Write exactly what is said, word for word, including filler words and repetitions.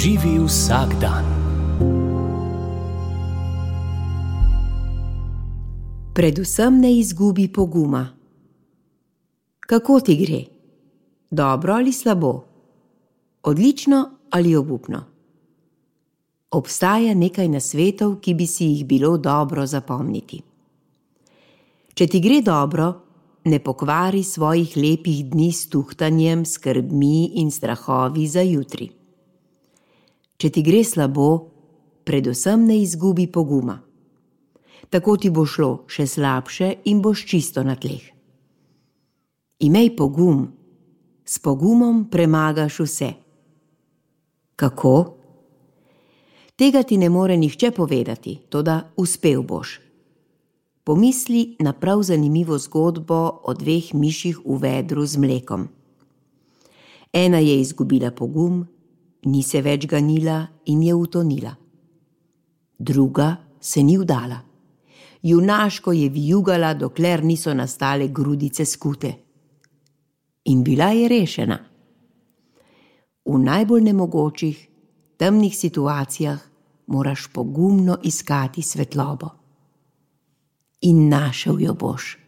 Živi vsak dan. Predvsem ne izgubi poguma. Kako ti gre? Dobro ali slabo? Odlično ali obupno? Obstaja nekaj nasvetov, ki bi si jih bilo dobro zapomniti. Če ti gre dobro, ne pokvari svojih lepih dni s tuhtanjem, skrbmi in strahovi za jutri. Če ti gre slabo, predvsem ne izgubi poguma. Tako ti bo šlo še slabše in boš čisto na tleh. Imej pogum, s pogumom premagaš vse. Kako? Tega ti ne more nihče povedati, toda uspel boš. Pomisli na prav zanimivo zgodbo o dveh miših v vedru z mlekom. Ena je izgubila pogum, ni se več ganila in je utonila. Druga se ni vdala. Junaško je vijugala, dokler niso nastale grudice skute. In bila je rešena. V najbolj nemogočih, temnih situacijah moraš pogumno iskati svetlobo. In našel jo boš.